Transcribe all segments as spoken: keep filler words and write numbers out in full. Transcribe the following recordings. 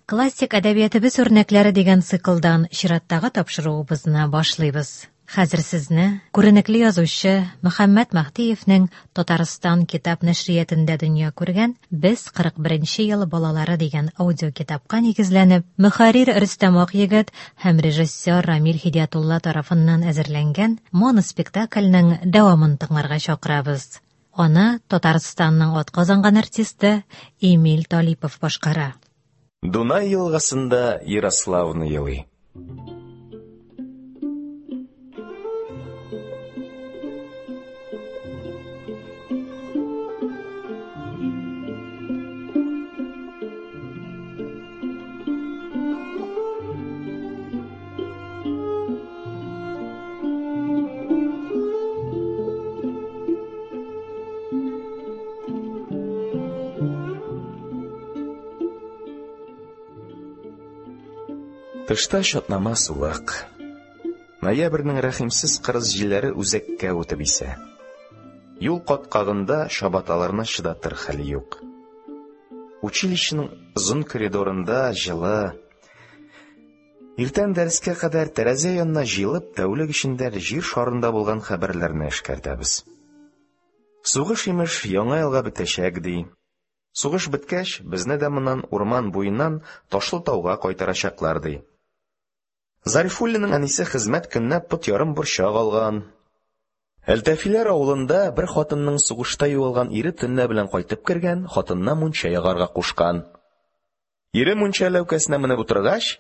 Классик әдәбиятыбыз үрнәкләре дигән циклдан чираттагы тапшыруыбызны башлыйбыз. Хәзер сезне күренекле язучы Мөхәммәт Мәһдиевнең Татарстан китап нәшриятында дөнья күргән Без кырык беренче ел балалары дигән аудиокитапка нигезләнеп, мөхәррир Рөстәм Акъегет һәм режиссер Рамил Һидиятулла тарафыннан әзерләнгән моноспектакльнең дәвамын тыңларга чакырабыз. Аны Татарстанның атказанган артисты Эмиль Талипов башкара. Дунай елгасында Ярославна елый. Тышта чатнама суык. Ноябрьнең рәхимсез кырыс җилләре үзәккә үтеп исә. Юл каткагында чабаталарны чыдатыр хәл юк. Училищеның озын коридорында җылы. Иртән дәрескә кадәр тәрәзә янына җыелып, тәүлек эчендә җир шарында булган хәбәрләрне эшкәртәбез. Сугыш имеш яңа елга бетәчәк ди. Сугыш беткәч, безне дә моннан урман буеннан Ташлы тауга кайтарачаклар ди. Зарифуллинның әнисе хезмәт көненә пот ярым борчак алган. Әлтәфиләр авылында бер хатынның сугышта югалган ире төнлә белән кайтып кергән, хатынына мунча ягарга кушкан. Ире мунча ләүкәсенә менеп утыргач,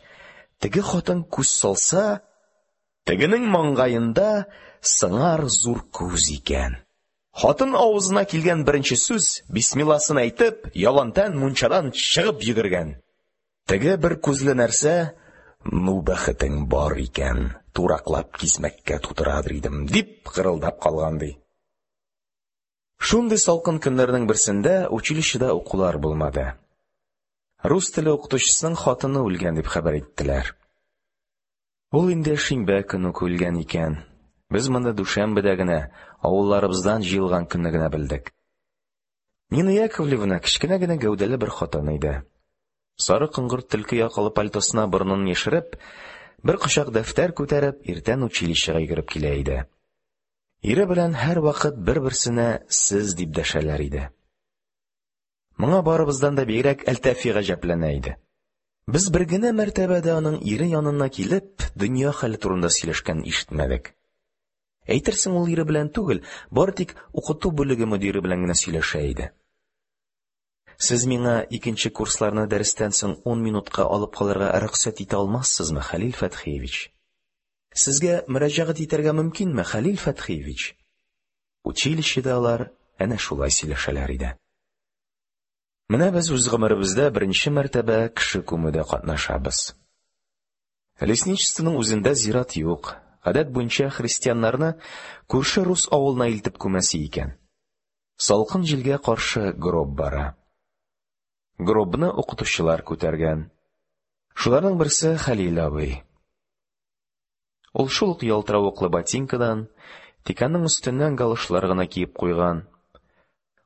теге хатын күз салса, тегенең маңгаенда сыңар зур күз икән. Хатын авызына килгән беренче сүз, бисмилласын әйтеп, ялантән мунчадан чыгып йөгергән. Теге бер күзле нәрсә: "Ну бәхетең бар икән, тураклап кисмәккә тутырадыр идем", дип гырылдап калган ди. Шундый салкын көннәрнең берсендә училищеда укулар булмады. Рус теле укытучысының хатыны үлгән дип хәбәр иттеләр. Ул инде шимбә көн үк үлгән икән. Без моны дүшәмбедә генә, авылларыбыздан җыелган көнне генә белдек. Нина Яковлевна кечкенә генә гәүдәле бер хатын иде. Сары коңгырт төлке якалы пальтосына борынын яшереп, бер кочак дәфтәр күтәреп, иртән училищега йөгереп килә иде. Ире белән һәрвакыт бер-берсенә сез дип дәшәләр иде. Моңа барыбыздан да бигрәк Әлтәфи гаҗәпләнә иде. Без бер генә мәртәбә дә аның ире янына килеп, дөнья хәле турында сөйләшкәнен ишетмәдек. Әйтерсең, ул ире белән түгел, бары тик укыту бүлеге мөдире белән генә сөйләшә иде. Сез миңа икенче курсларны дәрестән соң ун минутка алып калырга рөхсәт итә алмассызмы, Хәлил Фәтхиевич? Сезгә мөрәҗәгать итәргә мөмкинме, Хәлил Фәтхиевич? Училищеда алар әнә шулай сөйләшәләр иде. Менә без үз гомеребездә беренче мәртәбә кеше күмүдә катнашабыз. Лесничествоның үзендә зират юк. Гадәт буенча христианнарны күрше рус авылына илтеп күмәсе икән. Салкын җилгә каршы гроб бара. Гробны укытучылар күтәргән. Шуларның берсе Хәлил абый. Ул шул ук ялтыравыклы ботинкадан, тик аның өстеннән галошлар гына киеп куйган.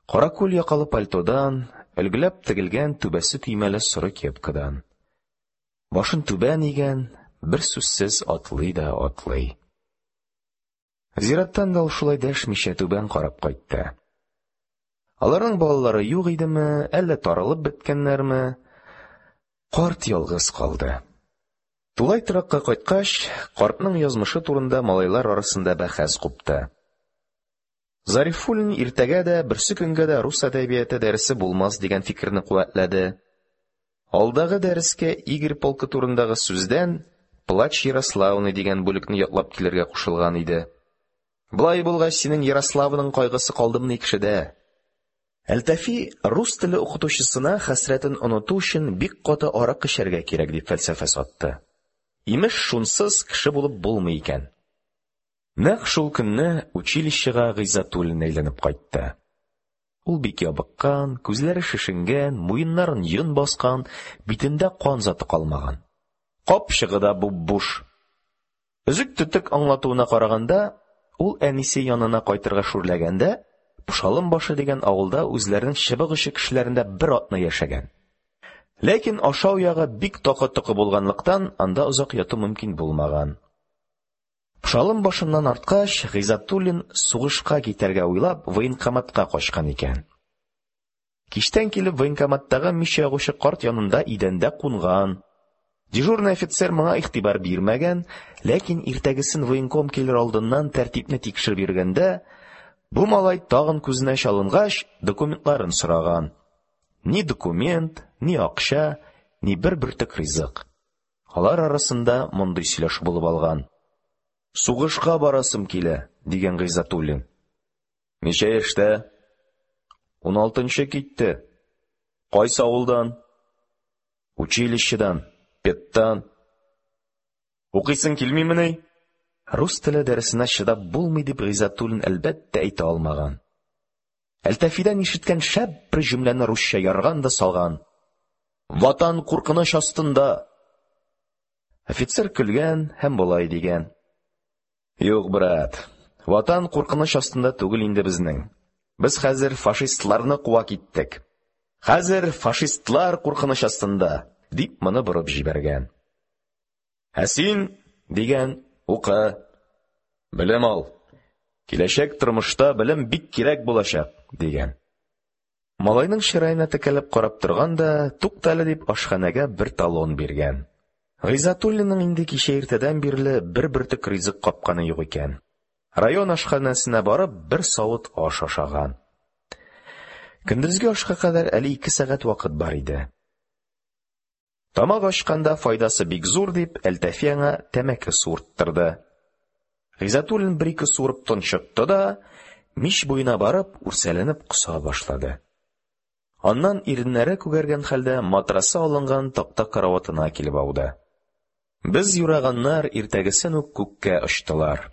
Каракүл якалы пальтодан, өлгеләп тегелгән түбәсе төймәле соры кепкадан. Башын түбән игән, бер сүзсез атлый да атлый. Зираттан да ул шулай дәшмичә түбән карап кайтты. Аларның балалары юк идеме, әллә таралып беткәннәрме? Карт ялгыз калды. Тулай торакка кайткач, картның язмышы турында малайлар арасында бәхәс купты. Зарифуллин иртәгә дә, берсе көнгә дә рус әдәбияты дәресе булмас дигән фикерне куәтләде. Алдагы дәрескә Игорь полкы турындагы сүздән Плач Ярославны дигән бүлекне ятлап килергә кушылган иде. Болай булгач, синең Ярославның кайгысы калдымыни кешедә? Әлтәфи рус теле укытучысына хәсрәтен оныту өчен бик каты аракы эчәргә кирәк дип фәлсәфә сатты. Имеш, шунсыз кеше булып булмый икән. Нәкъ шул көнне училищега Гыйззәтуллин әйләнеп кайтты. Ул бик ябыккан, күзләре шешенгән, муеннарын йон баскан, битендә кан заты калмаган. Капчыгы да буп-буш. Өзек-төтек аңлатуына караганда, ул әнисе янына кайтырга шүрләгәндә, Пошалым башы дигән авылда үзләренең чыбык очы кешеләрендә бер атна яшәгән. Ләкин ашау ягы бик такы-токы булганлыктан, анда озак яту мөмкин булмаган. Пошалым башыннан арткач, Гыйззәтуллин сугышка китәргә уйлап военкоматка качкан икән. Кичтән килеп военкоматтагы мич ягучы карт янында идәндә кунган. Дежурный офицер моңа игътибар бирмәгән, ләкин иртәгесен военком килер алдыннан тәртипне тикшереп йөргәндә, бу малай тагын күзенә чалынгач, документларын сораган. Ни документ, ни акча, ни бер бөртек ризык. Алар арасында мондый сөйләшү булып алган. «Сугышка барасым килә», – дигән Гыйззәтуллин. «Ничә яшьтә?» «Уналтынчы китте». «Кайсы авылдан?» «Училищедан, педтан». «Укыйсың килмимени?» Рус теле дәресенә чыдап булмый дип Гыйззәтуллин, әлбәттә, әйтә алмаган. Әлтафидан ишеткән шәп бер җөмләне русча ярган да салган: «Ватан куркыныч астында!» Офицер көлгән һәм болай дигән: «Юк, брат, Ватан куркыныч астында түгел инде безнең. Без хәзер фашистларны куа киттек. Хәзер фашистлар куркыныч астында», – дип моны борып җибәргән. «Ә син, – дигән, – укы, белем ал. Киләчәк тормышта белем бик кирәк булачак», – дигән. Малайның чыраена текәлеп карап торган да, туктале дип, ашханәгә бер талон биргән. Гыйззәтуллинның инде кичә иртәдән бирле бер бөртек ризык капканы юк икән. Район ашханәсенә барып, бер савыт аш ашаган. Көндезге ашка кадәр әле ике сәгать вакыт бар иде. Тамак ачканда файдасы бик зур дип, Әлтафи аңа тәмәке суырттырды. Гыйззәтуллин бер-ике суырып тончыкты да, мич буена барып, үрсәләнеп коса башлады. Аннан иреннәре күгәргән хәлдә матрасы алынган такта караватына килеп ауды. Без юраганнар иртәгесен үк күккә очтылар.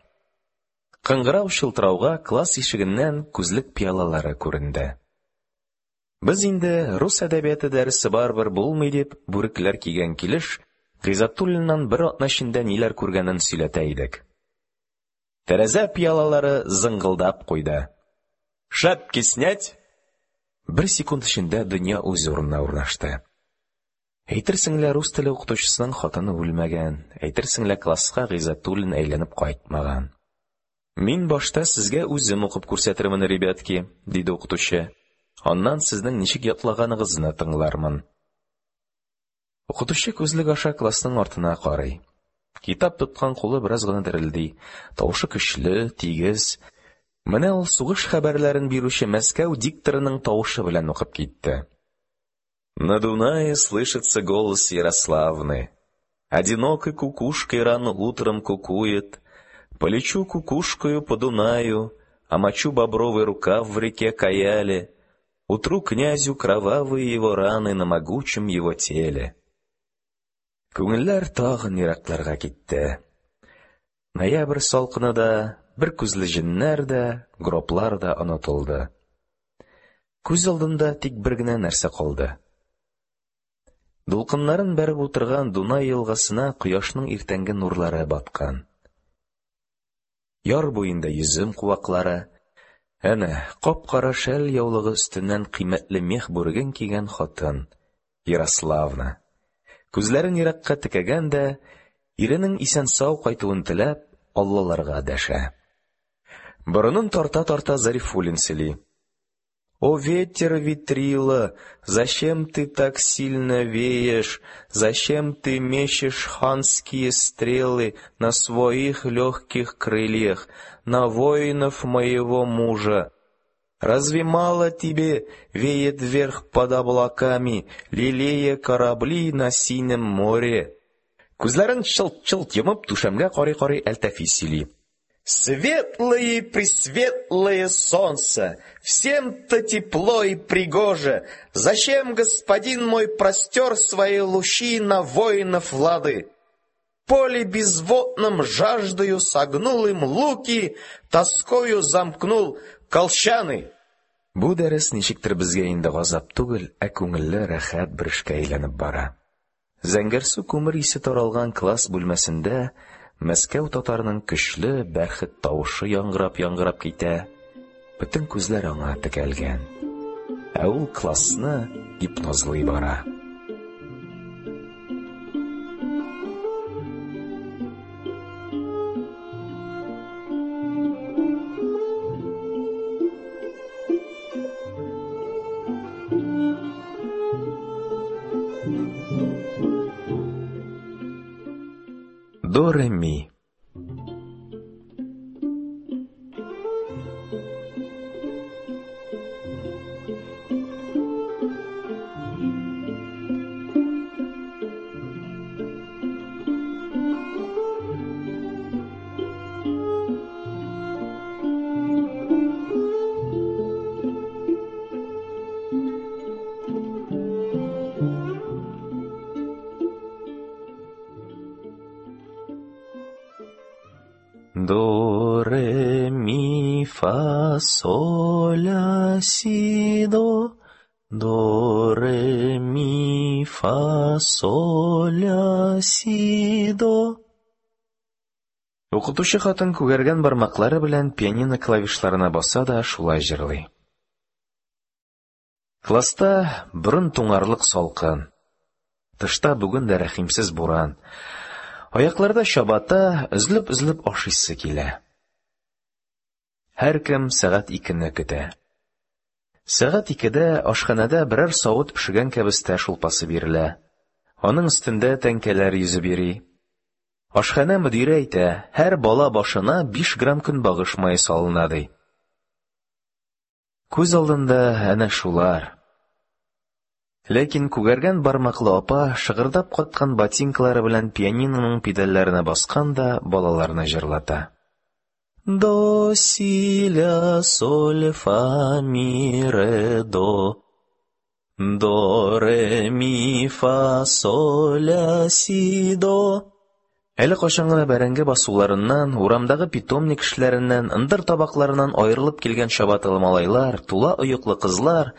Кыңгырау чылтырауга класс ишегеннән күзлек пыялалары күренде. Без инде рус әдәбияты дәресе барыбер булмый дип, бүрекләр кигән килеш, Гыйззәтуллиннан бер атна эчендә ниләр күргәнен сөйләтә идек. Тәрәзә пыялалары зыңгылдап куйды. «Шапки снять!» Бер секунд эчендә дөнья үз урынына урнашты. Әйтерсең лә рус теле укытучысының хатыны үлмәгән, әйтерсең лә класска Гыйззәтуллин әйләнеп кайтмаган. «Мин башта сезгә үзем укып күрсәтермен, ребятки», – диде укытучы. «Аннан сезнең ничек ятлаганыгызны тыңлармын». Укытучы күзлек аша классның артына карый. Китап тоткан кулы бераз гына дерелди. Тавышы көчле, тигез. Менә ул сугыш хәбәрләрен бирүче Мәскәү дикторының тавышы белән укып китте. На Дунае слышится голос Ярославны. Одинокой кукушкой рано утром кукует. Полечу кукушкою по Дунаю, омочу бобровый рукав в реке Каяле, утру князю кровавые его раны на могучем его теле. Күңелләр тагын еракларга китте. Ноябрь салкыны да, бер күзле җеннәр дә, гроблар да онытылды. Күз алдында тик бер генә нәрсә калды. Дулкыннарын бәреп утырган Дунай елгасына кояшның иртәнге нурлары баткан. Яр буенда йөзем куаклары, әнә кап-кара шәл яулыгы өстеннән кыйммәтле мех бүреген кигән хатын Ярославна. Күзләрен еракка текәгән дә, иренең исән-сау кайтуын теләп, аллаларга дәшә. Борынын тарта-тарта Зарифуллин сөйли. «О, ветер, ветрила, зачем ты так сильно веешь, зачем ты мечешь ханские стрелы на своих легких крыльях, на воинов моего мужа? Разве мало тебе веет вверх под облаками, лелея корабли на синем море?» Күзләрен чылт-чылт йомып, түшәмгә карый-карый Әлтафи сөйли. Светлое и пресветлое солнце, всем-то тепло и пригоже. Зачем господин мой простер свои лучи на воинов Лады? Поле безводном жаждою согнул им луки, тоскою замкнул колчаны. Бу дәрес ничектер безгә инде газап түгел, ә күңелле рәхәт бер эшкә әйләнеп бара. Зәңгәрсу күмер исе таралган класс бүлмәсендә Мәскәү татарының көчле бәрхет тавышы яңгырап-яңгырап китә. Бөтен күзләр аңа текәлгән. Ә ул классны гипнозлый бара. До, ре, ми. До, ре, ми, фа, соль, ля, си, до. До, ре, ми, фа, соль, ля, си, до. Укытучы хатын күгәргән бармаклары белән пианино клавишларына баса да шулай җырлый. Класста борын туңарлык салкын. Тышта бүген дә рәхимсез буран. Аякларда чабата, өзелеп-өзелеп ашыйсы килә. Һәркем сәгать икене көтә. Сәгать икедә ашханәдә берәр савыт пешергән кәбестә шулпасы бирелә. Аның өстендә тәңкәләр йөзеп йөри. Ашханә мөдире әйтә, һәр бала башына биш грамм көнбагыш мае салына, ди. Күз алдында әнә шулар. Ләкин күгәргән бармаклы апа шыгырдап каткан ботинкалары белән пианиноның педальләренә баскан да балаларны җырлата. До, си, ля, соль, фа, ми, ре, до. До, ре, ми, фа, соль, ля, си, до. Әле кайчан гына бәрәңге басуларыннан, урамдагы питомник кешеләреннән, ындыр табакларыннан аерылып килгән чабаталы малайлар, тула оеклы кызлар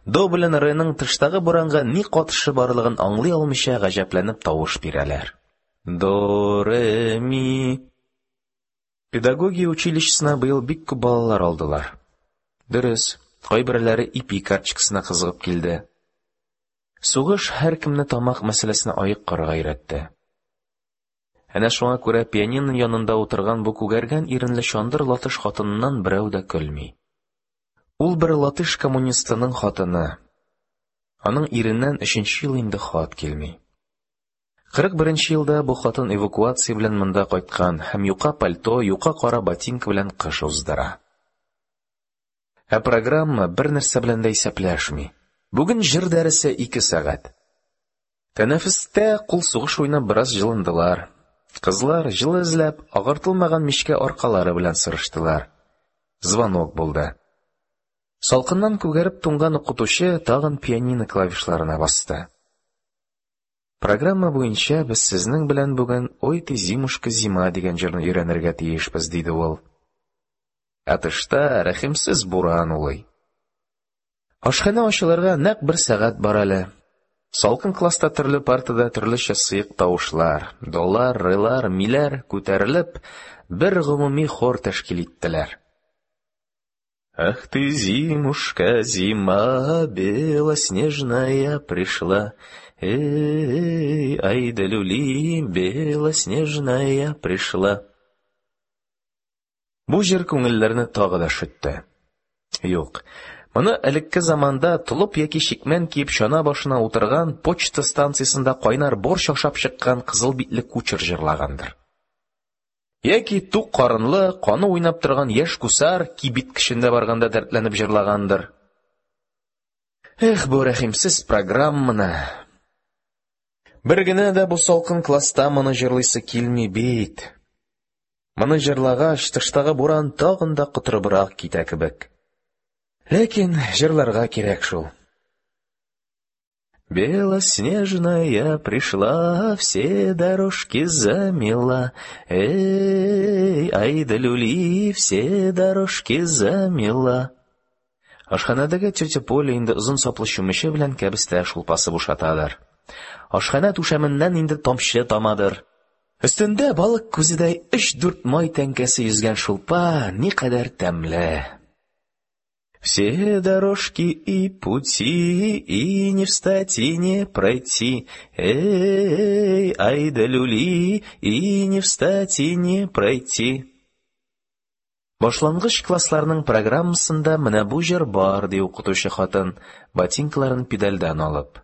до белән реның тыштагы буранга ни катышы барлыгын аңлый алмыйча гаҗәпләнеп тавыш бирәләр. До, ре, ми. Педагогия училищесына быел бик күп балалар алдылар. Дөрес, кайберләре ипи карточкасына кызыгып килде. Сугыш һәркемне тамак мәсьәләсенә аек карарга өйрәтте. Әнә шуңа күрә пианино янында утырган бу күгәргән иренле чандыр латыш хатыныннан берәү дә көлми. Ул бер латыш коммунистының хатыны. Аның иреннән өченче ел инде хат килми. Кырык беренче елда бу хатын эвакуация белән монда кайткан һәм юка пальто, юка кара ботинка белән кыш уздыра. Ә программа бер нәрсә белән дә исәпләшми. Бүген җыр дәресе ике сәгать. Тәнәфестә кул сугыш уйнап бераз җылындылар. Кызлар җылы эзләп, агартылмаган мичкә аркалары белән сырыштылар. Звонок булды. Салкыннан күгәреп туңган укытучы тагын пианино клавишларына басты. Программа буенча без сезнең белән бүген «Ой ты, зимушка, зима» дигән җырны өйрәнергә тиешбез, диде ул. Ә тышта рәхимсез буран улый. Ашханә ачылырга нәкъ бер сәгать бар әле. Салкын класста төрле партада төрлечә сыек тавышлар, долар, релар, миләр күтәрелеп, бер гомуми хор тәшкил иттеләр. Ах ты, зимушка, зима, белоснежная пришла. Эй, ай да люли, белоснежная пришла. Бу җыр күңелләрне тагы да шөтте. Юк, моны элекке заманда толып яки чикмән киеп чана башына утырган почта станциясендә кайнар борщ ашап чыккан кызыл битле кучер җырлагандыр. Яки тук карынлы, каны уйнап торган яшь гусар кибит кешендә барганда дәртләнеп җырлагандыр. Эх, бу рәхимсез программаны. Бер генә дә бу салкын класста моны җырлыйсы килми бит. Моны җырлагач, тыштагы буран тагын да котырыбрак китә кебек. Ләкин җырларга кирәк шул. Белоснежная пришла, все дорожки замела. Эй, ай да люли, все дорожки замела. Ашханәдәге тетя Поля инде озын саплы чүмече белән кәбестә шулпасы бушатадыр. Ашханә түшәменнән инде тамчы тамадыр. Өстендә балык күзедәй өч-дүрт май тәңкәсе йөзгән шулпа никадәр тәмле. Все дорожки и пути, и не встать, и не пройти. Эй, ай да люли, и не встать, и не пройти. Башлангыч классларның программасында менә бу җыр бар, ди укытучы хатын, ботинкаларын педальдән алып.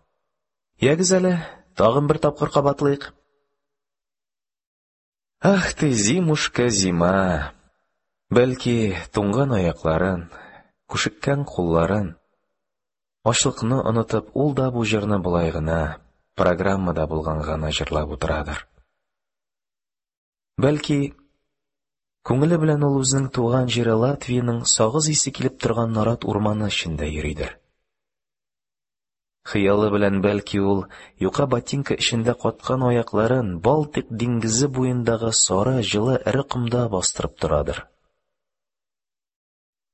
Ягез әле, тагын бер тапкыр кабатлыйк. Ах ты, зимушка, зима! Бәлки, туңган аякларын, күшеккән кулларын, ачлыкны онытып, ул да бу җырны болай гына, программада булганга гына җырлап утырадыр. Бәлки, күңеле белән ул үзенең туган җире Латвиянең сагыз исе килеп торган нарат урманы эчендә йөридер. Хыялы белән, бәлки, ул юка ботинка эчендә каткан аякларын Балтыйк диңгезе буендагы сары, җылы, эре комда бастырып торадыр.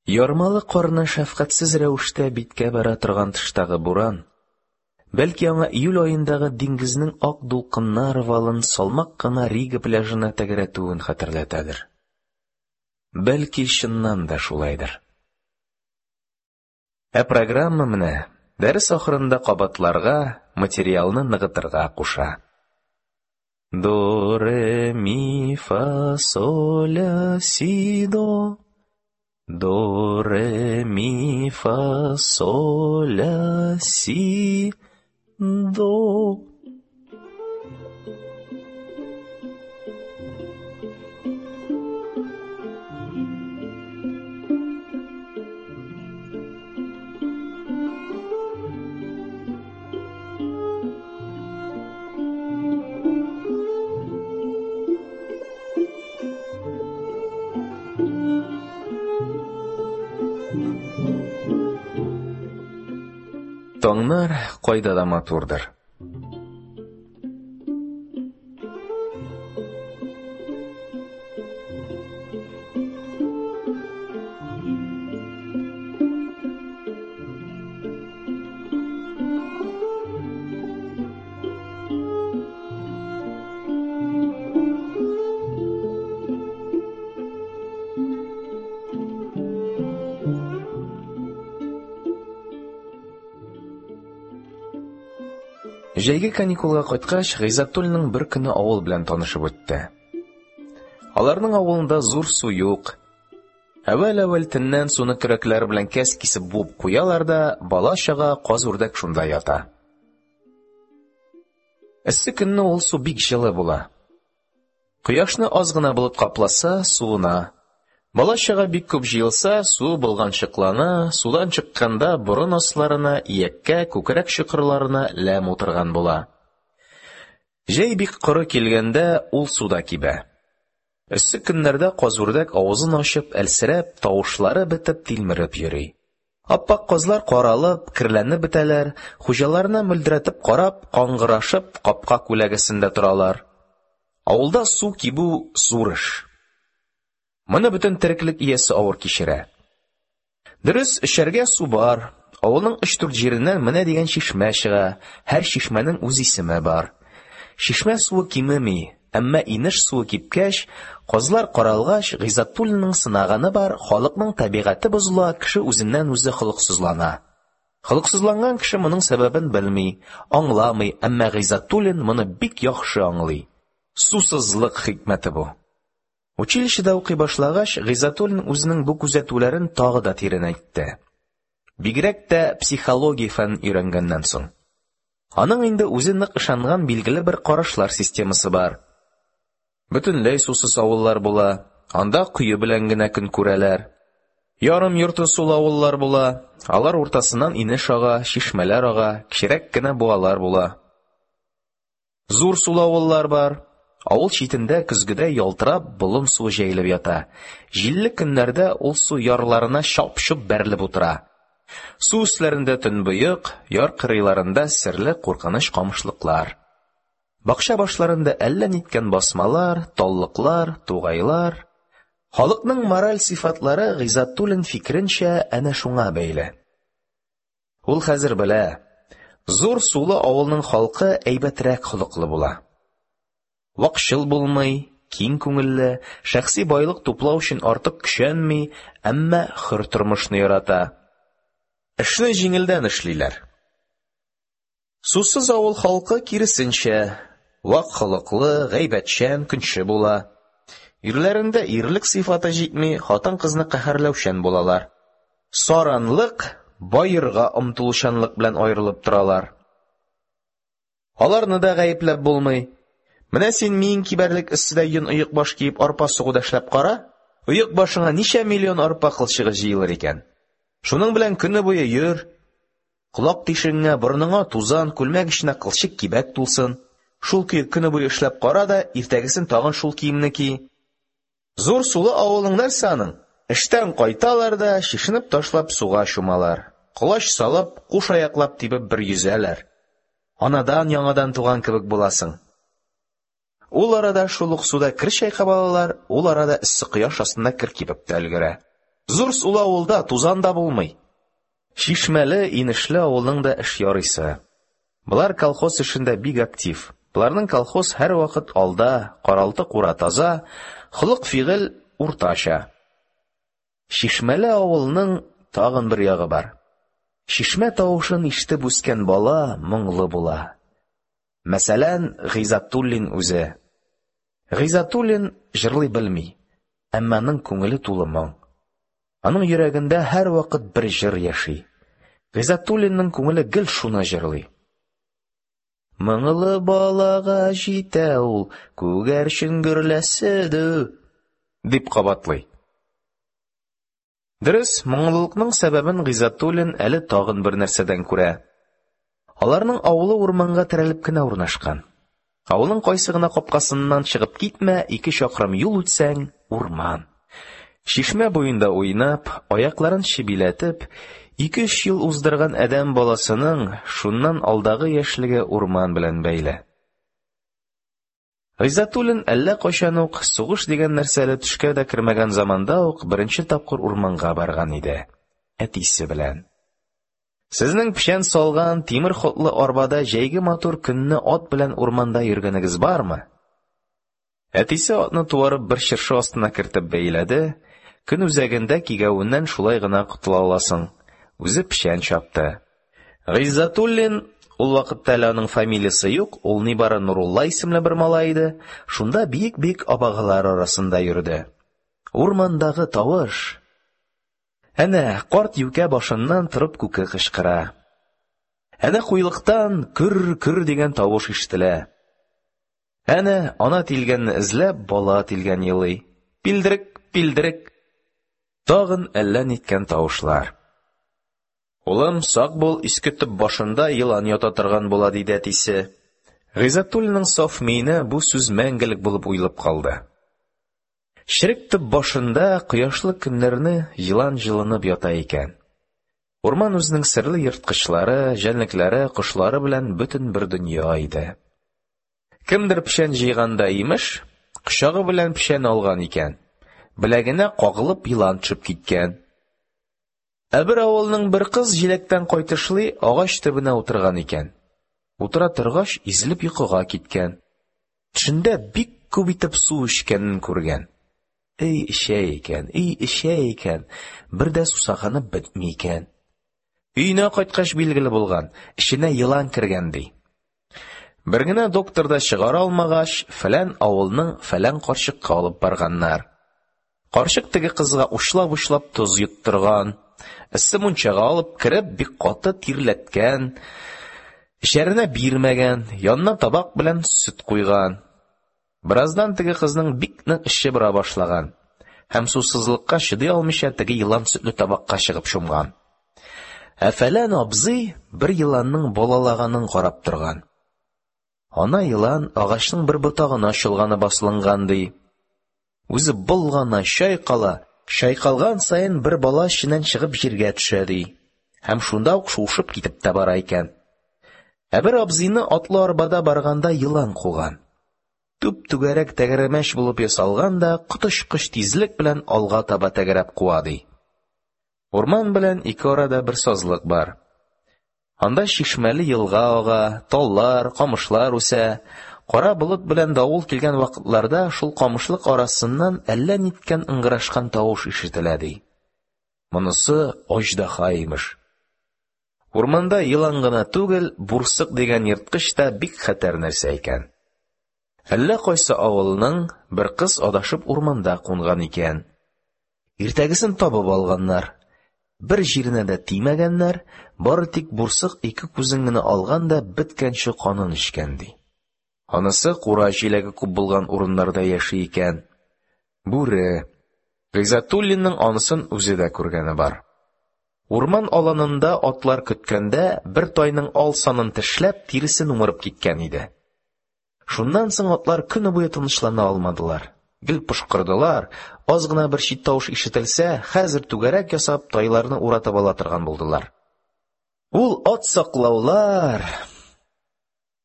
Ярмалы карны шәфкатьсез рәвештә биткә бәрә торган тыштагы буран, бәлки, аңа июль аендагы диңгезнең ак дулкыннар валын салмак кына Рига пляжына тәгәрәтүен хәтерләтәдер. Бәлки, чыннан да шулайдыр. Ә программа менә дәрес ахырында кабатларга, материалны ныгытырга куша. До, ре, ми, фа, соль, ля, си, до. До, ре, ми, фа, соль, ля, си, до. Таңнар кайда да матурдыр. Җәйге каникулга кайткач, Гыйззәтуллинның бер көне авыл белән танышып үтте. Аларның авылында зур су юк. Әүвәл-әүвәл төннән суны көрәкләр белән кәс кисеп буып куялар да, бала-чага, каз-үрдәк шунда ята. Эссе көнне ул су бик җылы була. Кояшны аз гына болыт капласа, суына. Бала-чага бик күп җыелса, су болганчыклана, судан чыкканда борын асларына, ияккә, күкрәк чокырларына ләм утырган була. Җәй бик коры килгәндә ул су да кибә. Эссе көннәрдә каз-үрдәк авызын ачып, әлсерәп, тавышлары бетеп, тилмереп йөри. Аппак казлар каралып, керләнеп бетәләр, хуҗаларына мөлдерәтеп карап, каңгырашып, капка күләгәсендә торалар. Авылда су кибү зур эш. Моны бөтен тереклек иясе авыр кичерә. Дөрес, эчәргә су бар. Авылның өч-дүрт җиреннән менә дигән чишмә чыга. Һәр чишмәнең үз исеме бар. Чишмә суы кимеми, әмма инеш суы кипкәч, казлар каралгач, Гыйззәтуллинның сынаганы бар, халыкның табигате бозыла, кеше үзеннән-үзе холыксызлана. Холыксызланган кеше моның сәбәбен белми, аңламый, әмма Гыйззәтуллин моны бик яхшы аңлый. Сусызлык хикмәте бу. Училищеда укый башлагач, Гыйззәтуллин үзенең бу күзәтүләрен тагы да тирәнәйтте. Бигрәк тә психология фәнен өйрәнгәннән соң. Аның инде үзе нык ышанган билгеле бер карашлар системасы бар. Бөтенләй сусыз авыллар була, анда кое белән генә көн күрәләр. Ярым йорты сулы авыллар була, алар уртасыннан инеш ага, чишмәләр ага, кечерәк кенә буалар була. Зур сулы авыллар бар. Авыл читендә көзгедә ялтырап болын суы җәелеп ята. Җилле көннәрдә ул су ярларына чап-чоп бәрелеп утыра. Су өсләрендә төнбоек, яр кырыйларында серле куркыныч камышлыклар. Бакча башларында әллә ниткән басмалар, таллыклар, тугайлар. Халыкның мораль сыйфатлары Гыйззәтуллин фикеренчә әнә шуңа бәйле. Ул хәзер белә, зур сулы авылның халкы әйбәтрәк холыклы була. Вакчыл булмый, киң күңелле, шәхси байлык туплау өчен артык көчәнми, әмма хөр тормышны ярата. Эшне җиңелдән эшлиләр. Сусыз авыл халкы киресенчә, вак холыклы, гайбәтчән, көнче була. Ирләрендә ирлек сыйфаты җитми, хатын-кызны каһәрләүчән булалар. Саранлык, баерга омтылучанлык белән аерылып торалар. Аларны да гаепләп булмый. Менә син миең кибәрлек эсседә йон оекбаш киеп арпа сугуда эшләп кара, оекбашыңа ничә миллион арпа кылчыгы җыелыр икән. Шуның белән көне буе йөр. Колак тишегеңә, борыныңа тузан, күлмәк эченә кылчык кибәк тулсын. Шул көе көне буе эшләп кара да, иртәгесен тагын шул киемне ки. Зур сулы авылның нәрсә аның? Эштән кайталар да, чишенеп ташлап суга чумалар. Колач салып, куш аяклап тибеп бер йөзәләр. Анадан яңадан туган кебек буласың. Ул арада шул ук суда кер чайкап алалар, ул арада эссе кояш астында кер кибеп тә өлгерә. Зур сулы авылда тузан да булмый. Чишмәле, инешле авылның да эш ярыйсы. Болар колхоз эшендә бик актив. Боларның колхоз һәрвакыт алда, каралты-кура таза, холык-фигыль уртача. Чишмәле авылның тагын бер ягы бар. Чишмә тавышын ишетеп үскән бала моңлы була. Мәсәлән, Гыйззәтуллин үзе. Гыйззәтуллин җырлый белми, әмма аның күңеле тулы моң. Аның йөрәгендә һәрвакыт бер җыр яши. Гыйззәтуллинның күңеле гел шуны җырлый. Моңлы балага җитә ул, күгәрчен гөрләсе дә, дип кабатлый. Дөрес, моңлылыкның сәбәбен Гыйззәтуллин әле тагын бер нәрсәдән күрә. Аларның авылы урманга терәлеп кенә урнашкан. Авылның кайсы гына капкасыннан чыгып китмә, ике чакрым юл үтсәң урман. Чишмә буенда уйнап, аякларын чебиләтеп, ике-өч ел уздырган адәм баласының шуннан алдагы яшьлеге урман белән бәйле. Гыйззәтуллин әллә кайчан ук, сугыш дигән нәрсә әле төшкә дә кермәгән заманда ук, беренче тапкыр урманга барган иде, әтисе белән. Сезнең печән салган тимер хотлы арбада җәйге матур көнне ат белән урманда йөргәнегез бармы? Әтисе атны туарып бер чыршы астына кертеп бәйләде, көн үзәгендә кигәвеннән шулай гына котыла аласың. Үзе печән чапты. Гыйззәтуллин, ул вакытта әле аның фамилиясе юк, ул нибары Нурулла исемле бер малай иде, шунда биек-биек абагалар арасында йөрде. Урмандагы тавыш. Әнә карт юкә башыннан торып күке кычкыра. Әнә куйлыктан көр-көр дигән тавыш ишетелә. Әнә ана тилгәнне эзләп бала тилгән елый. Пилдерек, пилдерек. Тагын әллә ниткән тавышлар. Улым, сак бул, иске төп башында елан ята торган була, диде әтисе. Гыйззәтуллинның саф миенә бу сүз мәңгелек булып уелып калды. Черек төп башында кояшлы көннәрне елан җылынып ята икән. Урман үзенең серле ерткычлары, җәнлекләре, кошлары белән бөтен бер дөнья иде. Кемдер печән җыйганда имеш, кочагы белән печән алган икән. Беләгенә кагылып елан төшеп киткән. Ә бер авылның бер кыз җиләктән кайтышлый агач төбенә утырган икән. Утыра торгач, изелеп йокыга киткән. Төшендә бик күп итеп су эчкәнен күргән. Эй эчә икән, эй эчә икән, бер дә сусаганы бетми икән. Өенә кайткач билгеле булган, эченә елан кергән ди. Бер генә доктор да чыгара алмагач, фәлән авылның фәлән карчыкка алып барганнар. Карчык теге кызга учлап-учлап тоз йоттырган, эссе мунчага алып кереп бик каты тирләткән, эчәренә бирмәгән, янына табак белән сөт куйган. Бераздан теге кызның бик нык эче бора башлаган һәм сусызлыкка чыдый алмыйча теге елан сөтле табакка чыгып чумган. Ә фәлән абзый бер еланның балалаганын карап торган. Ана елан агачның бер ботагына чолганып асылынган ди. Үзе болгана, чайкала, чайкалган саен бер бала эченнән чыгып җиргә төшә ди. Һәм шунда ук шуышып китеп тә бара икән. Ә бер абзыйны атлы арбада барганда елан куган. Түп-түгәрәк тәгәрмәч булып ясалган да коточкыч тизлек белән алга таба тәгәрәп куа ди. Урман белән ике арада бер сазлык бар. Анда чишмәле елга ага, таллар, камышлар үсә. Кара болыт белән давыл килгән вакытларда шул камышлык арасыннан әллә ниткән ыңгырашкан тавыш ишетелә ди. Монысы аждаһа имеш. Урманда елан гына түгел, бурсык дигән ерткыч та бик хәтәр нәрсә икән. Әллә кайсы авылның бер кыз адашып урманда кунган икән. Иртәгесен табып алганнар. Бер җиренә дә тимәгәннәр, бары тик бурсык ике күзен генә алган да беткәнче канын эчкән ди. Анысы кура җиләге күп булган урыннарда яши икән. Бүре. Гыйззәтуллинның анысын үзе дә күргәне бар. Урман аланында атлар көткәндә бер тайның ал санын тешләп, тиресен умырып киткән иде. Шуннан соң атлар көне буе тынычлана алмадылар. Гел пошкырдылар, аз гына бер чит тавыш ишетелсә, хәзер түгәрәк ясап тайларны уратып ала торган булдылар. Ул ат саклаулар!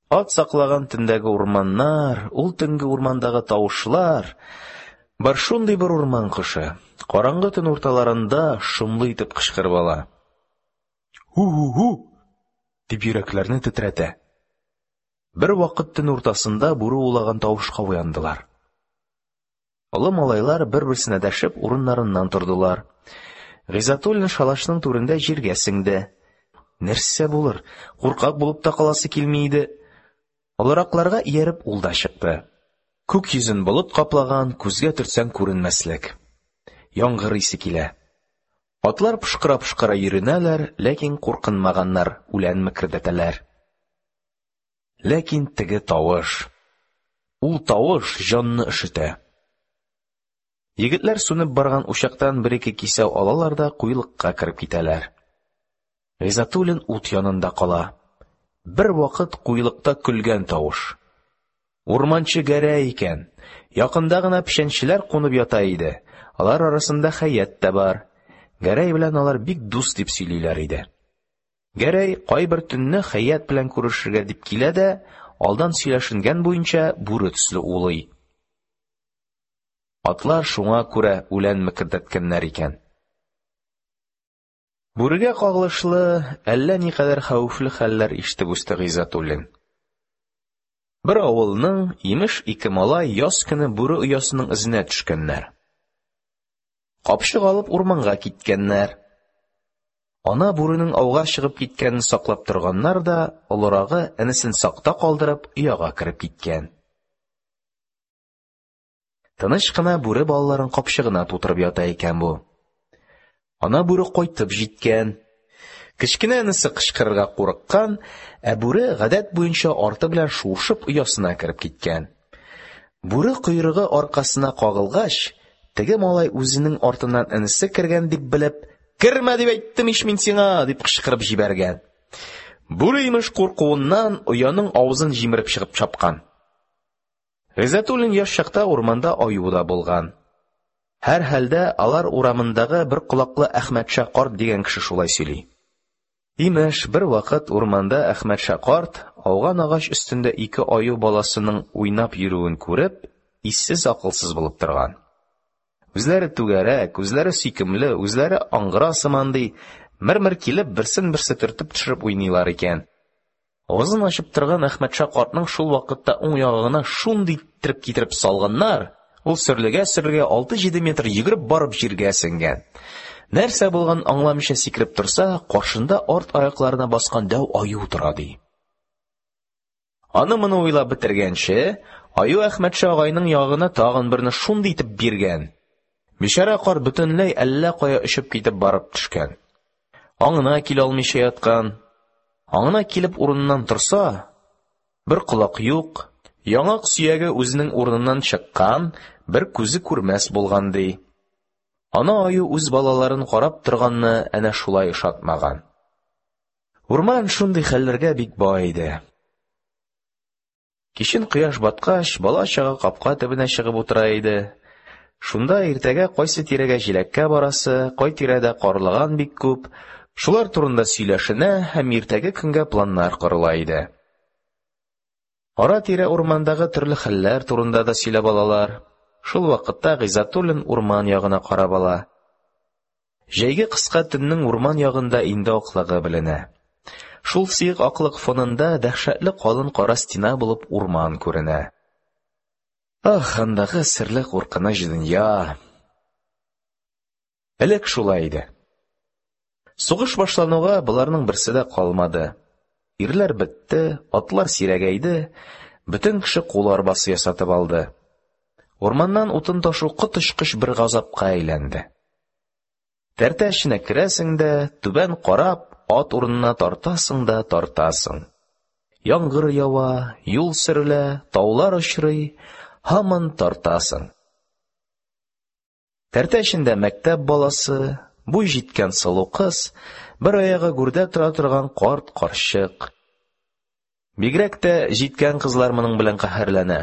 Ат саклаган төндәге урманнар, ул төнге урмандагы тавышлар! Бар шундый бер урман кошы, караңгы төн урталарында шомлы итеп кычкырып ала. «Һу-һу-һу!» дип йөрәкләрне тетрәтә. Бервакыт төн уртасында бүре улаган тавышка уяндылар. Олы малайлар бер-берсенә дәшеп урыннарыннан тордылар. Гыйззәтуллин шалашның түрендә җиргә сеңде. Нәрсә булыр, куркак булып та каласы килми иде. Олыракларга ияреп ул да чыкты. Күк йөзен болыт каплаган, күзгә төртсәң күренмәслек. Яңгыр исе килә. Атлар пошкыра-пошкыра йөренәләр, ләкин куркынмаганнар, үлән мекердәтәләр. Ләкин теге тавыш. Ул тавыш җанны өшетә. Егетләр сүнеп барган учактан бер-ике кисәү алалар да куелыкка кереп китәләр. Гыйззәтуллин ут янында кала. Бервакыт куелыкта көлгән тавыш. Урманчы Гәрәй икән. Якында гына печәнчеләр кунып ята иде. Алар арасында Хәят тә бар. Гәрәй белән алар бик дус дип сөйлиләр иде. Гәрәй кайбер төнне Хәят белән күрешергә дип килә дә, алдан сөйләшенгән буенча бүре төсле улый. Атлар шуңа күрә үлән мекердәткәннәр икән. Бүрегә кагылышлы әллә никадәр хәвефле хәлләр ишетеп үсте Гыйззәтуллин. Бер авылның, имеш, ике малай яз көне бүре оясының эзенә төшкәннәр. Капчык алып урманга киткәннәр. Ана бүренең ауга чыгып киткәнен саклап торганнар да, олырагы энесен сакта калдырып, ояга кереп киткән. Тыныч кына бүре балаларын капчыгына тутырып ята икән бу. Ана бүре кайтып җиткән. Кечкенә энесе кычкырырга курыккан, ә бүре гадәт буенча арты белән шуышып оясына кереп киткән. Бүре койрыгы аркасына кагылгач, теге малай үзенең артыннан энесе кергән дип белеп, «Кермә дип әйттем ич мин сиңа!» дип кычкырып җибәргән. Бүре имеш куркуыннан ояның авызын җимереп чыгып чапкан. Гыйззәтуллин яшь чакта урманда аю да булган. Һәрхәлдә алар урамындагы бер колаклы Әхмәтша карт дигән кеше шулай сөйли. Имеш, бервакыт урманда Әхмәтша карт ауган агач өстендә ике аю баласының уйнап йөрүен күреп, иссез-акылсыз булып торган. Үзләре түгәрәк, үзләре сөйкемле, үзләре аңгыра сыман ди, мер-мер килеп берсен-берсе төртеп төшереп уйныйлар икән. Авызын ачып торган Әхмәтша картның шул вакытта уң ягына шундый иттереп китереп салганнар, ул сөрлегә-сөрлегә алты-җиде метр йөгереп барып җиргә сеңгән. Нәрсә булганын аңламыйча сикереп торса, каршында арт аякларына баскан дәү аю тора ди. Аны-моны уйлап бетергәнче, аю Әхмәтша агайның ягына тагын берне шундый итеп биргән. Бичара карт бөтенләй әллә кая очып китеп барып төшкән. Аңына килә алмыйча яткан. Аңына килеп урыныннан торса, бер колак юк, яңак сөяге үзенең урыныннан чыккан, бер күзе күрмәс булган ди. Ана аю үз балаларын карап торганны әнә шулай ошатмаган. Урман шундый хәлләргә бик бай иде. Кичен кояш баткач, бала-чага капка төбенә чыгып утыра иде. Шунда иртәгә кайсы тирәгә җиләккә барасы, кай тирәдә карлыган бик күп, шулар турында сөйләшенә һәм иртәге көнгә планнар корыла иде. Ара-тирә урмандагы төрле хәлләр турында да сөйләп алалар. Шул вакытта Гыйззәтуллин урман ягына карап ала. Җәйге кыска төннең урман ягында инде аклыгы беленә. Шул сыек аклык фонында дәһшәтле калын кара стена булып урман күренә. Ах, андагы серле куркыныч дөнья! Элек шулай иде. Сугыш башлануга боларның берсе дә калмады. Ирләр бетте, атлар сирәгәйде, бөтен кеше кул арбасы ясатып алды. Урманнан утын ташу коточкыч бер газапка әйләнде. Тәртә эченә керәсең дә, түбән карап, ат урынына тартасың да тартасың. Яңгыр ява, юл сөрелә, таулар очрый, һаман тартасың. Тәртә эчендә мәктәп баласы, буй җиткән сылу кыз, бер аягы гүрдә тора торган карт, карчык. Бигрәк тә җиткән кызлар моның белән каһәрләнә.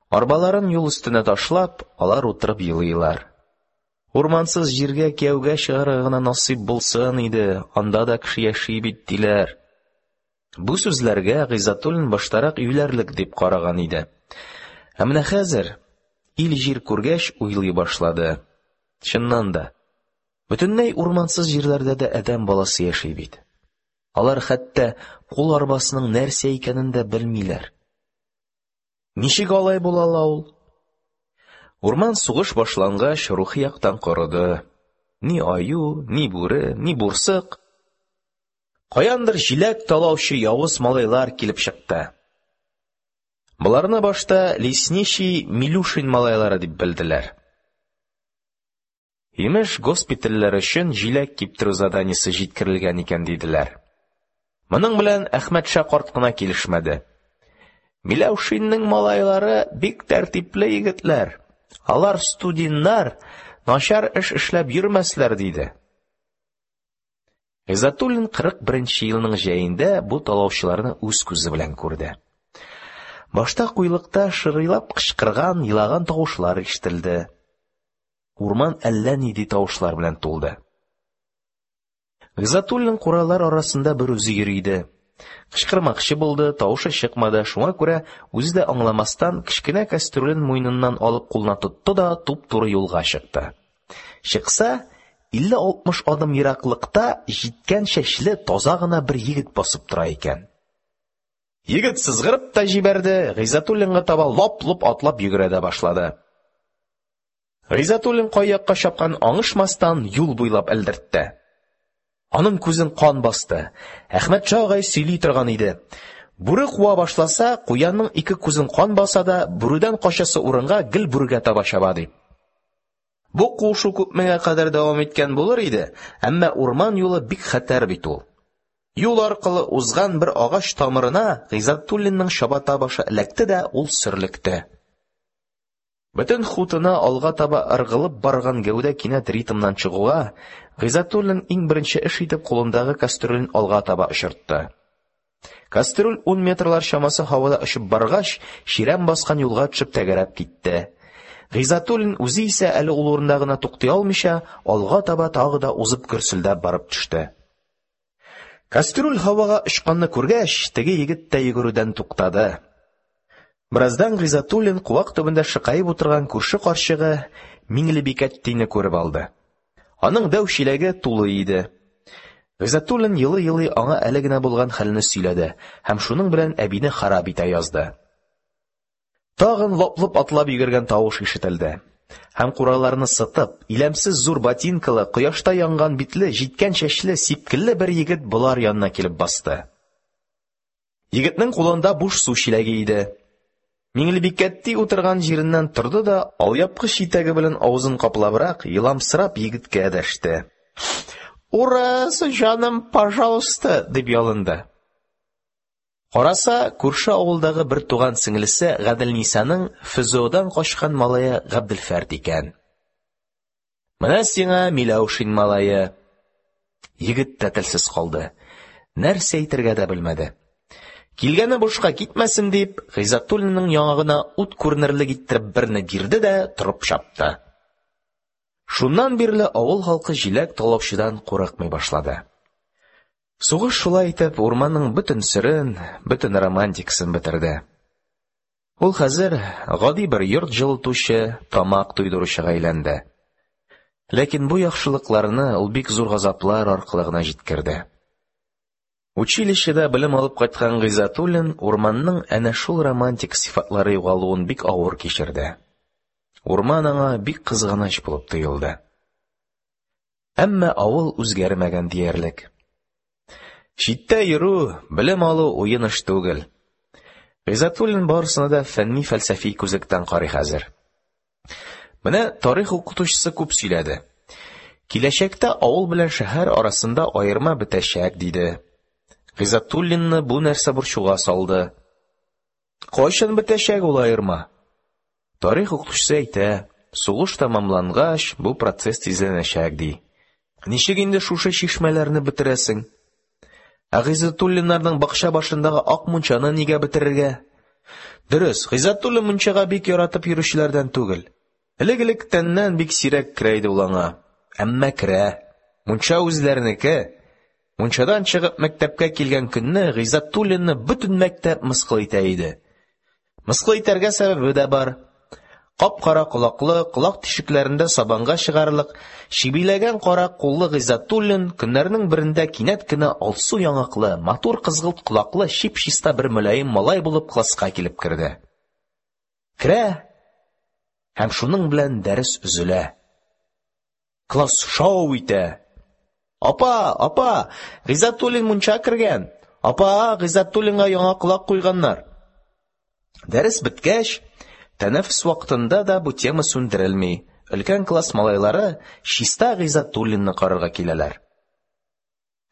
Арбаларын юл өстенә ташлап, алар утырып елыйлар. Урмансыз җиргә кияүгә чыгарга гына насыйп булсын иде, анда да кеше яши бит, диләр. Бу сүзләргә Гыйззәтуллин баштарак юләрлек дип караган иде. Ә менә хәзер, ил-җир күргәч, уйлый башлады. Чыннан да, бөтенләй урмансыз җирләрдә дә адәм баласы яши бит. Алар хәтта кул арбасының нәрсә икәнен дә белмиләр. Ничек алай була ала ул? Урман сугыш башлангач рухи яктан корыды. Ни аю, ни бүре, ни бурсык. Каяндыр җиләк талаучы явыз малайлар килеп чыкты. Боларны башта лесничий Милюшин малайлары дип белделәр. Имеш, госпитальләр өчен җиләк киптерү заданиесе җиткерелгән икән, диделәр. Моның белән Әхмәтша карт кына килешмәде. Миләүшиннең малайлары бик тәртипле егетләр. Алар студентлар, начар эш эшләп йөрмәсләр, диде. Гыйззәтуллин кырык беренче елның җәендә бу талаучыларны үз күзе белән күрде. Башта куйлыкта шырыйлап кычкырган, елаган тавышлар ишетелде. Урман әллә нинди тавышлар белән тулды. Гыйззәтуллин куралар арасында бер үзе йөри иде. Кычкырмакчы булды, тавышы чыкмады, шуңа күрә үзе дә аңламастан кечкенә кастрюлен муеныннан алып кулына тотты да туп-туры юлга чыкты. Чыкса, илле-алтмыш адым ераклыкта җиткән чәчле таза гына бер егет басып тора икән. Егет сызгырып та җибәрде, Гыйззәтуллинга таба лап-лоп атлап йөгерә дә башлады. Гыйззәтуллин кай якка чапканын аңышмастан юл буйлап элдертте. Аның күзен кан басты. Әхмәтша агай сөйли торган иде. Бүре куа башласа, куянның ике күзен кан баса да, бүредән качасы урынга гел бүрегә таба чаба, дип. Бу куышу күпмегә кадәр дәвам иткән булыр иде, әмма урман юлы бик хәтәр бит ул. Юл аркылы узган бер агач тамырына Гыйззәтуллинның чабата башы эләкте дә, ул сөрлекте. Бөтен хутына алга таба ыргылып барган гәүдә кинәт ритмнан чыгуга, Гыйззәтуллин иң беренче эш итеп кулындагы кастрюлен алга таба очыртты. Кастрюль ун метрлар чамасы һавада очып баргач, чирәм баскан юлга төшеп тәгәрәп китте. Гыйззәтуллин үзе исә әле ул урында гына туктый алмыйча, алга таба тагы да узып гөрселдәп барып төште. Кастрюль һавага очканны күргәч, теге егет тә йөгерүдән туктады. Бераздан Гыйззәтуллин куак төбендә шыкаеп утырган күрше карчыгы Миңлебикәттине күреп алды. Аның дәү чиләге тулы иде. Гыйззәтуллин елый-елый аңа әле генә булган хәлне сөйләде һәм шуның белән әбине харап итә язды. Тагын лап-лоп атлап йөгергән тавыш ишетелде. Һәм кураларны сытып, иләмсез зур ботинкалы, кояшта янган битле, җиткән чәчле, сипкелле бер егет болар янына килеп басты. Егетнең кулында буш су чиләге иде. Миңлебикәтти утырган җиреннән торды да, алъяпкыч итәге белән авызын каплабрак, еламсырап егеткә дәште. «Урыс, җаным, пожалуйста!» дип ялынды. Караса, күрше авылдагы бер туган сеңлесе Гаделнисаның ФЗОдан качкан малае Габделфәрт икән. Менә сиңа Миләүшин малае. Егет тә телсез калды. Нәрсә әйтергә дә белмәде. Килгәне бушка китмәсен дип, Гыйззәтуллинның яңагына ут күренерлек иттереп берне бирде дә торып чапты. Шуннан бирле авыл халкы җиләк талаучыдан курыкмый башлады. Сугыш шулай итеп урманның бөтен серен, бөтен романтикасын бетерде. Ул хәзер гади бер йорт җылытучы, тамак туйдыручыга әйләнде. Ләкин бу яхшылыкларны ул бик зур газаплар аркылы гына җиткерде. Училищеда белем алып кайткан Гыйззәтуллин урманның әнә шул романтик сыйфатлары югалуын бик авыр кичерде. Урман аңа бик кызганыч булып тоелды. Әмма авыл үзгәрмәгән диярлек. Читтә йөрү, белем алу уен эш түгел. Гыйззәтуллин барысына да фәнни-фәлсәфи күзлектән карый хәзер. Менә тарих укытучысы күп сөйләде. Киләчәктә авыл белән шәһәр арасында аерма бетәчәк, диде. Гыйззәтуллинны бу нәрсә борчуга салды. Кайчан бетәчәк ул аерма? Тарих укытучысы әйтә, сугыш тәмамлангач, бу процесс тизләнәчәк, ди. Ничек инде шушы чишмәләрне бетерәсең? Ә Гыйззәтуллиннарның бакча башындагы ак мунчаны нигә бетерергә? Дөрес, Гыйззәтуллин мунчага бик яратып йөрүчеләрдән түгел. Элек-электәннән бик сирәк керә иде ул аңа. Әмма керә. Мунча үзләренеке. Мунчадан чыгып мәктәпкә килгән көнне Гыйззәтуллинны бөтен мәктәп мыскыл итә иде. Мыскыл итәргә сәбәбе дә бар. Кап-кара колаклы, колак тишекләрендә сабанга чыгарлык, чебиләгән кара куллы Гыйззәтуллин көннәрнең берендә кинәт кенә алсу яңаклы, матур кызгылт колаклы, чип-чиста бер мөлаем малай булып класска килеп керде. Керә, һәм шуның белән дәрес өзелә. Класс шау итә. Апа, апа, Гыйззәтуллин мунча кергән. Апа, Гыйззәтуллинга яңа колак куйганнар. Дәрес беткәч, тәнәфес вакытында да бу тема сүндерелми. Өлкән класс малайлары чиста Гыйззәтуллинны карарга киләләр.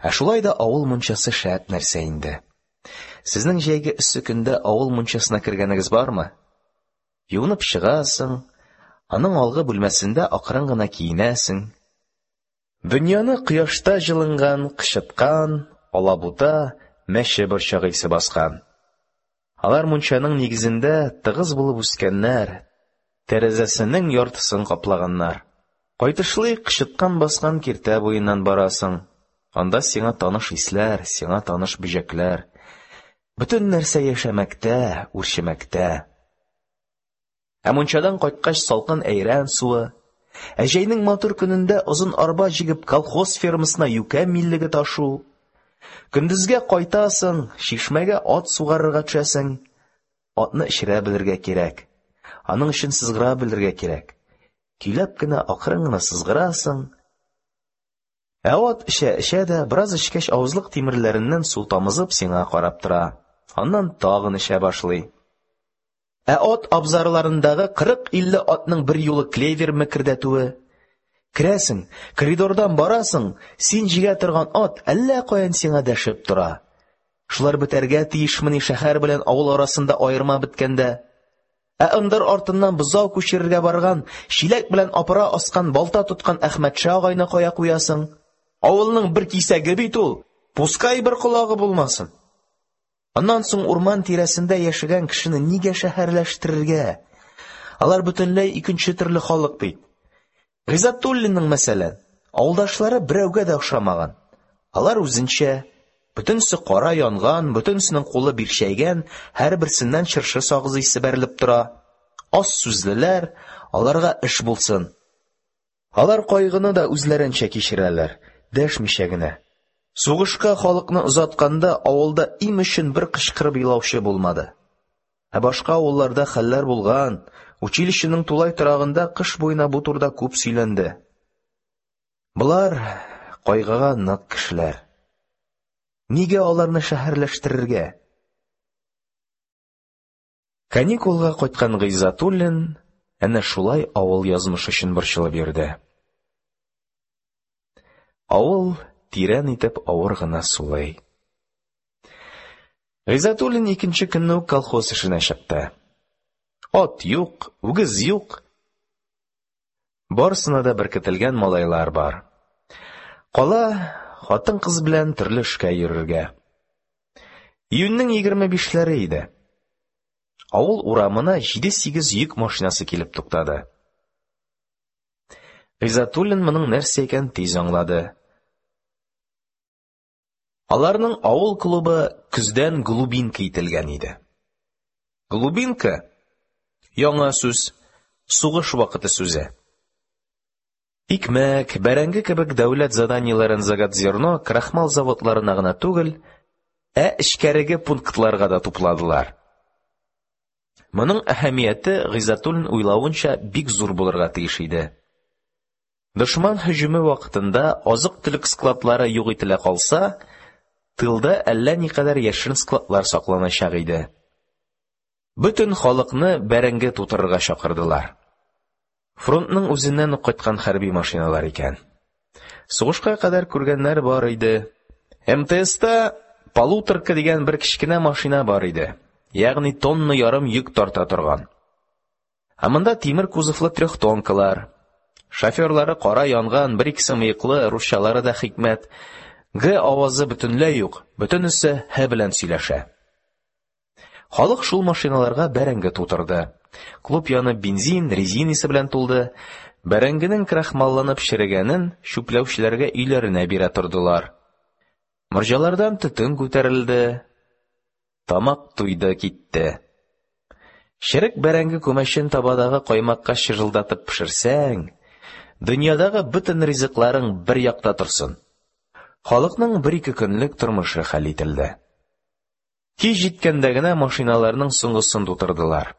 Ә шулай да авыл мунчасы шәп нәрсә инде. Сезнең җәйге эссе көндә авыл мунчасына кергәнегез бармы? Юынып чыгасың, аның алгы бүлмәсендә акрын гына киенәсең. Дөньяны кояшта җылынган, кычыткан, алабута, мәче борчагы исе баскан. Алар мунчаның нигезендә тыгыз булып үскәннәр, тәрәзәсенең яртысын каплаганнар. Кайтышлый кычыткан баскан киртә буеннан барасың. Анда сиңа таныш исләр, сиңа таныш бөҗәкләр. Бөтен нәрсә яшәмәктә, үрчемәктә. Ә мунчадан кайткач салкын әйрән суы, ә җәйнең матур көнендә озын арба җигеп колхоз фермасына юкә миллеге ташу. Көндезгә кайтасың, чишмәгә ат сугарырга төшәсең. Атны эчерә белергә кирәк. Аның өчен сызгыра белергә кирәк. Көйләп кенә акрын гына сызгырасың. Ә ат эчә-эчә дә, бераз эчкәч авызлык тимерләреннән су тамызып сиңа карап тора. Аннан тагын эчә башлый. Ә ат абзарларындагы кырык-илле атның бер юлы клевер мекердәтүе. Керәсең, коридордан барасың, син җигә торган ат әллә каян сиңа дәшеп тора. Шулар бетәргә тиешмени шәһәр белән авыл арасында аерма беткәндә? Ә ындыр артыннан бозау күчерергә барган, чиләк белән апара аскан, балта тоткан Әхмәтша агайны кая куясың? Авылның бер кисәге бит ул, пускай бер колагы булмасын. Аннан соң урман тирәсендә яшәгән кешене нигә шәһәрләштерергә? Алар бөтенләй икенче төрле халык бит. Гыйззәтуллинның, мәсәлән, авылдашлары берәүгә дә охшамаган. Алар үзенчә, бөтенесе кара янган, бөтенесенең кулы бирчәйгән, һәрберсеннән чыршы сагызы исе бәрелеп тора. Аз сүзлеләр, аларга эш булсын. Алар кайгыны да үзләренчә кичерәләр, дәшмичә генә. Сугышка халыкны озатканда авылда им өчен бер кычкырып елаучы булмады. Ә башка авылларда хәлләр булган. Училищеның тулай торагында кыш буена бу турыда күп сөйләнде. Болар кайгыга нык кешеләр. Нигә аларны шәһәрләштерергә? Каникулга кайткан Гыйззәтуллин әнә шулай авыл язмышы өчен борчылып йөрде. Авыл тирән итеп авыр гына сулый. Гыйззәтуллин икенче көнне үк колхоз эшенә чыкты. Ат юк, үгез юк. Барысына да беркетелгән малайлар бар. Кала хатын-кыз белән төрле эшкә йөрергә. Июньнең егерме бишләре иде. Авыл урамына җиде-сигез йөк машинасы килеп туктады. Гыйззәтуллин моның нәрсә икәнен тиз аңлады. Аларның авыл клубы көздән глубинка ителгән иде. Глубинка яңа сүз, сугыш вакыты сүзе. Икмәк, бәрәңге кебек дәүләт заданиеләрен заготзерно, крахмал заводларына гына түгел, ә эчкәреге пунктларга да тупладылар. Моның әһәмияте, Гыйззәтуллин уйлавынча, бик зур булырга тиеш иде. Дошман һөҗүме вакытында азык-төлек складлары юк ителә калса, тылда әллә никадәр яшерен складлар сакланачак иде. Бөтен халыкны бәрәңге тутырырга чакырдылар. Фронтның үзеннән үк кайткан хәрби машиналар икән. Сугышка кадәр күргәннәр бар иде. эм тэ эста «полуторка» дигән бер кечкенә машина бар иде, ягъни тонна ярым йөк тарта торган. Ә монда тимер кузовлы трехтонкалар. Шоферлары кара янган, бер-икесе мыеклы, русчалары да хикмәт. Г авазы бөтенләй юк, бөтенесе Һ белән сөйләшә. Халык шул машиналарга бәрәңге тутырды. Клуб яны бензин, резина исе белән тулды. Бәрәңгенең крахмалланып черегәнен чүпләүчеләргә өйләренә бирә тордылар. Морҗалардан төтен күтәрелде. Тамак туйды китте. Черек бәрәңге күмәчен табадагы каймакка чыжылдатып пешерсәң, дөньядагы бөтен ризыкларың бер якта торсын. Халыкның бер-ике көнлек тормышы хәл ителде. Кич җиткәндә генә машиналарның соңгысын тутырдылар.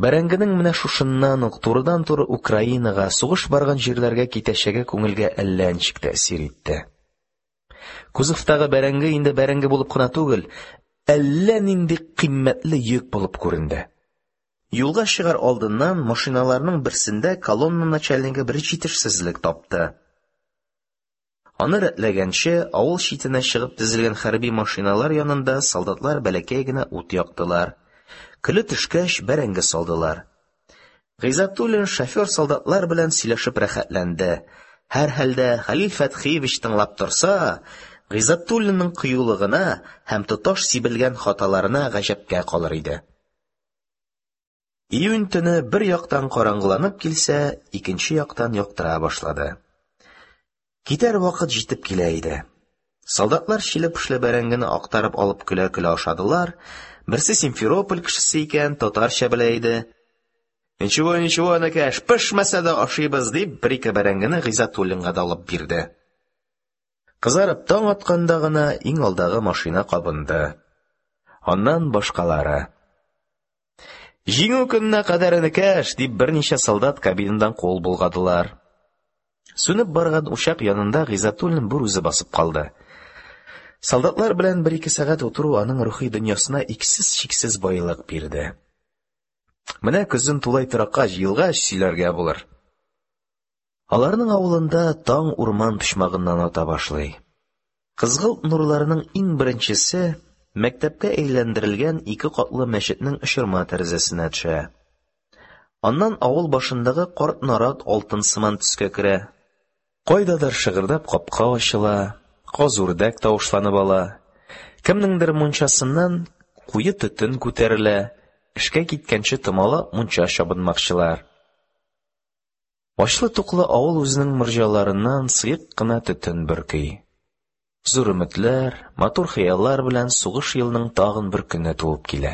Бәрәңгенең менә шушыннан ук турыдан-туры Украинага, сугыш барган җирләргә китәчәге күңелгә әллә ничек тәэсир итте. Кузовтагы бәрәңге инде бәрәңге булып кына түгел, әллә нинди кыйммәтле йөк булып күренде. Юлга чыгар алдыннан машиналарның берсендә колонна начальнигы бер җитешсезлек тапты. Аны рәтләгәнче, авыл читенә чыгып тезелгән хәрби машиналар янында солдатлар бәләкәй генә ут яктылар. Көле төшкәч, бәрәңге салдылар. Гыйззәтуллин шофер солдатлар белән сөйләшеп рәхәтләнде. Һәрхәлдә Хәлил Фәтхиевич тыңлап торса, Гыйззәтуллинның кыюлыгына һәм тоташ сибелгән хаталарына гаҗәпкә калыр иде. Июнь төне бер яктан караңгыланып килсә, икенче яктан яктыра башлады. Китәр вакыт җитеп килә иде. Солдатлар чиле-пешле бәрәңгене актарып алып көлә-көлә ашадылар. Берсе Симферополь кешесе икән, татарча белә иде. «Ничего, ничего, энекәш, пешмәсә дә ашыйбыз», дип, бер-ике бәрәңгене Гыйззәтуллинга да алып бирде. Кызарып таң атканда гына иң алдагы машина кабынды. Аннан башкалары. «Җиңү көненә кадәр, энекәш», дип берничә солдат кабинадан кул болгадылар. Сүнеп барган учак янында Гыйззәтуллин бер үзе басып калды. Солдатлар белән бер-ике сәгать утыру аның рухи дөньясына иксез-чиксез байлык бирде. Менә көзен тулай торакка җыелгач сөйләргә булыр. Аларның авылында таң урман почмагыннан ата башлый. Кызгылт нурларының иң беренчесе мәктәпкә әйләндерелгән ике катлы мәчетнең очырма тәрәзәсенә төшә. Аннан авыл башындагы карт нарат алтын сыман төскә керә. Кайдадыр шыгырдап капка ачыла, каз-үрдәк тавышланып ала. Кемнеңдер мунчасыннан куе төтен күтәрелә, эшкә киткәнче томалап мунча чабынмакчылар. Ачлы-туклы авыл үзенең морҗаларыннан сыек кына төтен бөрки. Зур өметләр, матур хыяллар белән сугыш елының тагын бер көне туып килә.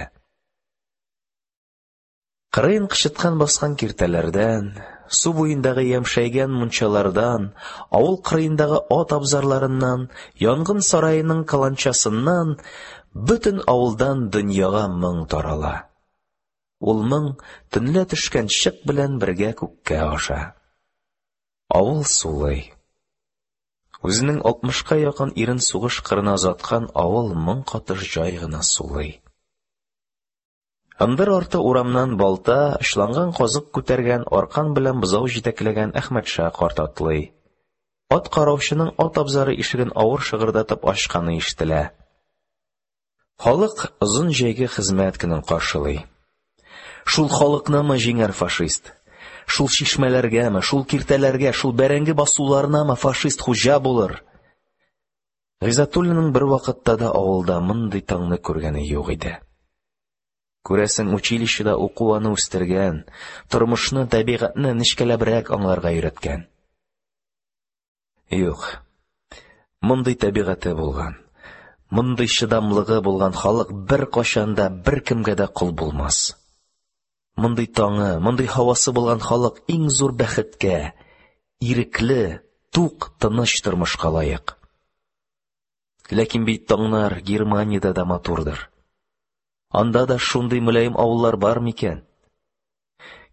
Кырыен кычыткан баскан киртәләрдән, су буендагы ямшәйгән мунчалардан, авыл кырыендагы ат абзарларыннан, янгын сараеның каланчасыннан, бөтен авылдан дөньяга моң тарала. Ул моң төнлә төшкән чык белән бергә күккә аша. Авыл сулый. Үзенең алтмышка якын ирен сугыш кырына озаткан авыл моң катыш җай гына сулый. Ындыр арты урамнан балта, очланган казык күтәргән, аркан белән бозау җитәкләгән Әхмәтша карт атлый. Ат караучының ат абзары ишеген авыр шыгырдатып ачканы ишетелә. Халык озын җәйге хезмәт көнен каршылый. Шул халыкнымы җиңәр фашист? Шул чишмәләргәме, шул киртәләргә, шул бәрәңге басуларынамы фашист хуҗа булыр? Гыйззәтуллинның бер вакытта да авылда мондый таңны күргәне юк иде. Күрәсең, училищеда уку аны үстергән, тормышны, табигатьне нечкәләбрәк аңларга өйрәткән. Юк, мондый табигате булган, мондый чыдамлыгы булган халык беркайчан да беркемгә дә кол булмас. Мондый таңы, мондый һавасы булган халык иң зур бәхеткә, ирекле, тук, тыныч тормышка лаек. Ләкин бит таңнар Германиядә дә матурдыр. Анда да шундый мөлаем авыллар бар микән?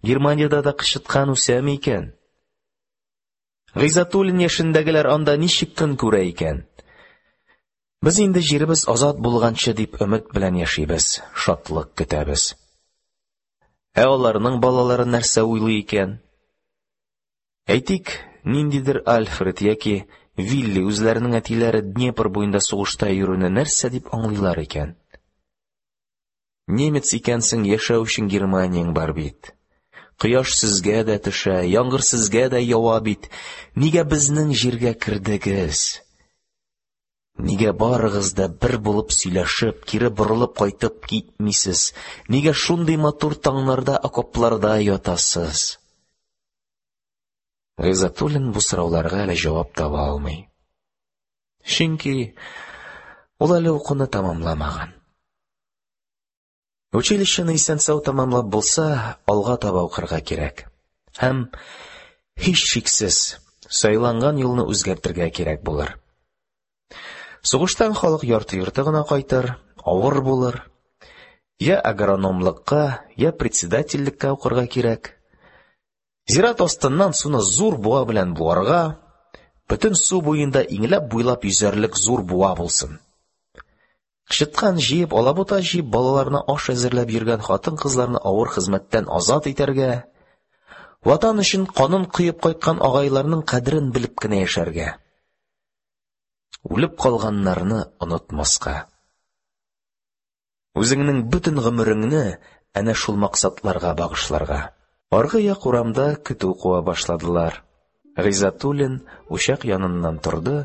Германиядә дә кычыткан үсәме икән? Гыйззәтуллин яшендәгеләр анда ничек көн күрә икән? Без инде җиребез азат булганчы дип өмет белән яшибез, шатлык көтәбез. Ә аларның балалары нәрсә уйлый икән? Әйтик, ниндидер Альфред яки Вилли үзләренең әтиләре Днепр буенда сугышта йөрүне нәрсә дип аңлыйлар икән? Немец икәнсең, яшәү өчен Германияң бар бит. Кояш сезгә дә төшә, яңгыр сезгә дә ява бит. Нигә безнең җиргә кердегез? Нигә барыгыз да бер булып сөйләшеп, кире борылып кайтып китмисез? Нигә шундый матур таңнарда окопларда ятасыз? Гыйззәтуллин бу сорауларга әле җавап таба алмый. Чөнки ул әле укуны тәмамламаган. Училищены исән-сау тәмамлап булса, алга таба укырга кирәк. Һәм, һичшиксез, сайланган юлны үзгәртергә кирәк булыр. Сугыштан халык ярты-йорты гына кайтыр, авыр булыр. Я агрономлыкка, я председательлеккә укырга кирәк. Зират астыннан суны зур буа белән буарга, бөтен су буенда иңләп-буйлап йөзәрлек зур буа булсын. Кычыткан җыеп, алабута җыеп, балаларына аш әзерләп йөргән хатын-кызларны авыр хезмәттән азат итәргә, Ватан өчен канын коеп кайткан агайларның кадерен белеп кенә яшәргә. Үлеп калганнарны онытмаска. Үзеңнең бөтен гомереңне әнә шул максатларга багышларга. Аргы як урамда көтү куа башладылар. Гыйззәтуллин учак яныннан торды,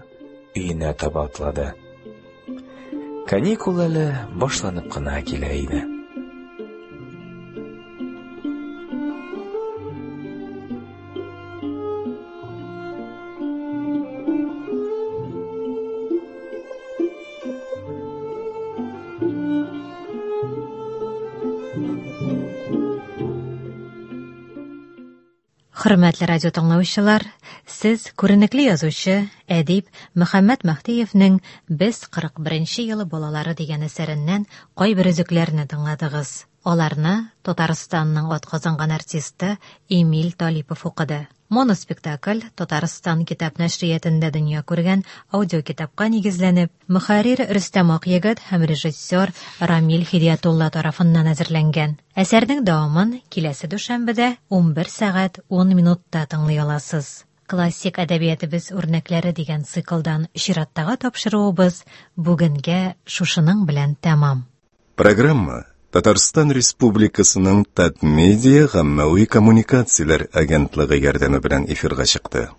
өенә таба атлады. Каникул әле башланып кына килә иде. Хөрмәтле радио тыңлаучылар, сез күренекле язучы, әдип Мөхәммәт Мәһдиевнең Без кырык беренче елы балалары дигән әсәреннән кайбер өзекләрне тыңладыгыз. Аларны Татарстанның атказанган артисты Эмиль Талипов укыды. Моноспектакль Татарстан китап нәшриятында дөнья күргән аудиокитапка нигезләнеп, мөхәррир Рөстәм Акъегет һәм режиссер Рамил Һидиятулла тарафыннан әзерләнгән. Әсәрнең дәвамын киләсе дүшәмбедә унбер сәгать ун минутта тыңлый аласыз. Классик әдәбиятыбыз үрнәкләре дигән циклдан чираттагы тапшыруыбыз бүгенгә шушының белән тәмам. Программа Татарстан Республикасының Татмедиа гаммәви коммуникацияләр агентлыгы ярдәме белән эфирга чыкты.